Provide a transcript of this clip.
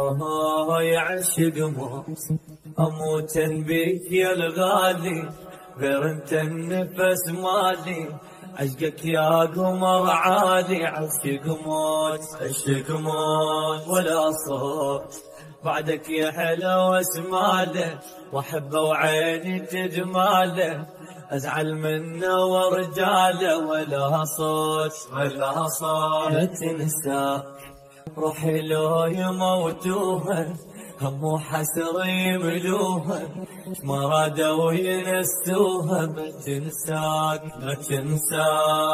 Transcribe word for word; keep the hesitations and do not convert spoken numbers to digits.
آه يا عشق موت أموت بيك يا الغالي، غير انت النفس مالي، عشقك يا قمر عالي. عشق موت عشق موت ولا صوت بعدك يا حلو اسماله، واحبه وعيني تجماله، ازعل منه ورجاله ولا صوت ولا صوت. لا تنساك روحي لو يموتوها، هم وحسر يملوها، ما رادوا ينسوها. ما تنساك ما تنساك.